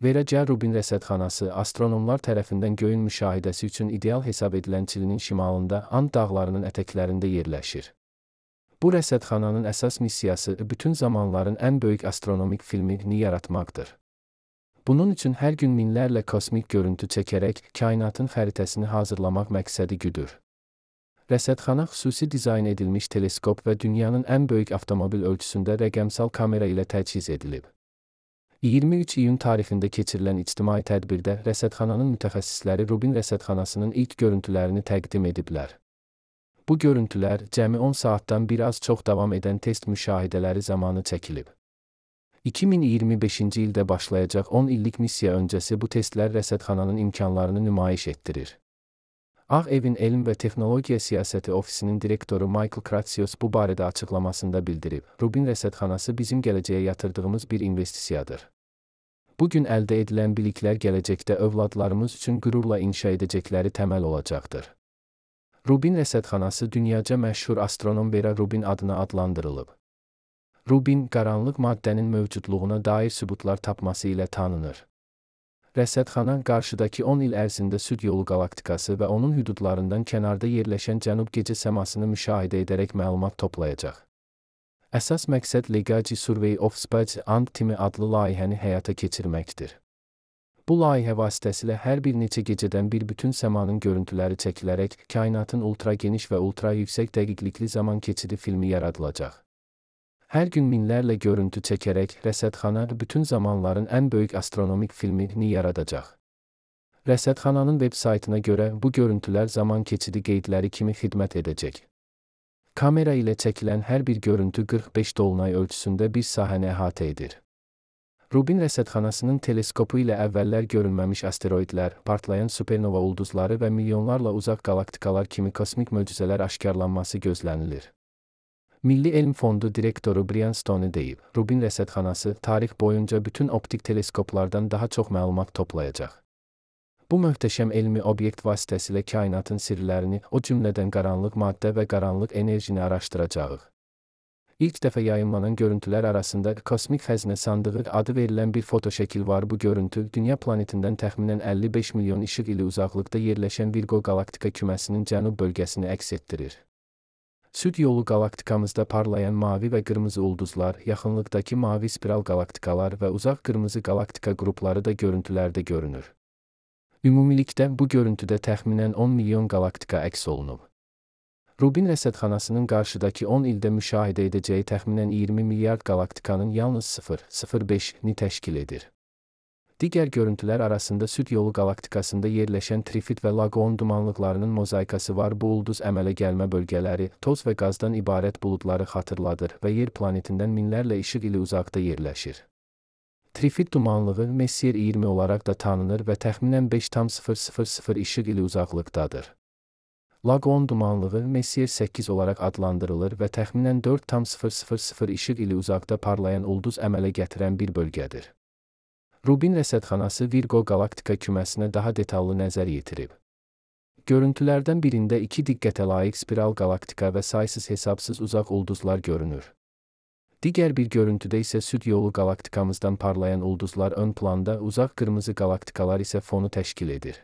Veracel Rubin rəsədxanası astronomlar tərəfindən göyün müşahidəsi üçün ideal hesab edilən Çilinin şimalında And dağlarının ətəklərində yerləşir. Bu rəsədxananın əsas missiyası bütün zamanların ən böyük astronomik filmini yaratmaqdır. Bunun üçün hər gün minlərlə kosmik görüntü çəkərək kainatın xəritəsini hazırlamaq məqsədi güdür. Rəsədxana xüsusi dizayn edilmiş teleskop və dünyanın ən böyük avtomobil ölçüsündə rəqəmsal kamera ilə təchiz edilib. 23 iyun tarixində keçirilən ictimai tədbirdə rəsədxananın mütəxəssisləri Rubin rəsədxanasının ilk görüntülərini təqdim ediblər. Bu görüntülər cəmi 10 saatdan bir az çox davam edən test müşahidələri zamanı çəkilib. 2025-ci ildə başlayacaq 10 illik missiya öncəsi bu testlər rəsədxananın imkanlarını nümayiş etdirir. Ağ Evin Elm və Texnologiya Siyasəti Ofisinin direktoru Michael Kratsios bu barədə açıqlamasında bildirib, Rubin rəsədxanası bizim gələcəyə yatırdığımız bir investisiyadır. Bugün əldə edilən biliklər gələcəkdə övladlarımız üçün qürurla inşa edəcəkləri təməl olacaqdır. Rubin rəsədxanası dünyaca məşhur astronom Vera Rubin adına adlandırılıb. Rubin, qaranlıq maddənin mövcudluğuna dair sübutlar tapması ilə tanınır. Rəsədxana qarşıdakı 10 il ərzində Süd yolu qalaktikası və onun hüdudlarından kənarda yerləşən cənub gecə səmasını müşahidə edərək məlumat toplayacaq. Əsas məqsəd Legacy Survey of Space and Time adlı layihəni həyata keçirməkdir. Bu layihə vasitəsilə hər bir neçə gecədən bir bütün səmanın görüntüləri çəkilərək kainatın ultra geniş və ultra yüksək dəqiqlikli zaman keçidi filmi yaradılacaq. Hər gün minlərlə görüntü çəkərək rəsədxana bütün zamanların ən böyük astronomik filmini yaradacaq. Rəsədxananın veb saytına görə bu görüntülər zaman keçidi qeydləri kimi xidmət edəcək. Kamera ilə çəkilən hər bir görüntü 45 dolunay ölçüsündə bir sahəni əhatə edir. Rubin rəsədxanasının teleskopu ilə əvvəllər görünməmiş asteroidlər, partlayan supernova ulduzları və milyonlarla uzaq qalaktikalar kimi kosmik möcüzələr aşkarlanması gözlənilir. Milli Elm Fondu direktoru Brian Stone deyib, Rubin rəsədxanası tarix boyunca bütün optik teleskoplardan daha çox məlumat toplayacaq. Bu möhtəşəm elmi obyekt vasitəsilə kainatın sirlərini, o cümlədən qaranlıq maddə və qaranlıq enerjini araşdıracağıq. İlk dəfə yayımlanan görüntülər arasında kosmik xəzinə sandığı adı verilən bir fotoşəkil var. Bu görüntü Dünya planetindən təxminən 55 milyon işıq ili uzaqlıqda yerləşən Virgo qalaktika küməsinin cənub bölgəsini əks etdirir. Süd yolu qalaktikamızda parlayan mavi və qırmızı ulduzlar, yaxınlıqdakı mavi spiral qalaktikalar və uzaq qırmızı qalaktika qrupları da görüntülərdə görünür. Ümumilikdə bu görüntüdə təxminən 10 milyon qalaktika əks olunub. Rubin rəsədxanasının qarşıdakı 10 ildə müşahidə edəcəyi təxminən 20 milyard qalaktikanın yalnız 0,05-ni təşkil edir. Digər görüntülər arasında Süd yolu qalaktikasında yerləşən Trifid və Lagoon dumanlıqlarının mozaikası var. Bu ulduz əmələ gəlmə bölgələri, toz və qazdan ibarət buludları xatırladır və yer planetindən minlərlə işıq ili uzaqda yerləşir. Trifid dumanlığı Messier 20 olaraq da tanınır və təxminən 5,000 işıq ili uzaqlıqdadır. Lagoon dumanlığı Messier 8 olaraq adlandırılır və təxminən 4,000 işıq ili uzaqda parlayan ulduz əmələ gətirən bir bölgədir. Rubin rəsədxanası Virgo qalaktika küməsinə daha detallı nəzər yetirib. Görüntülərdən birində 2 diqqətə layiq spiral qalaktika və saysız hesabsız uzaq ulduzlar görünür. Digər bir görüntüdə isə Süd yolu qalaktikamızdan parlayan ulduzlar ön planda, uzaq qırmızı qalaktikalar isə fonu təşkil edir.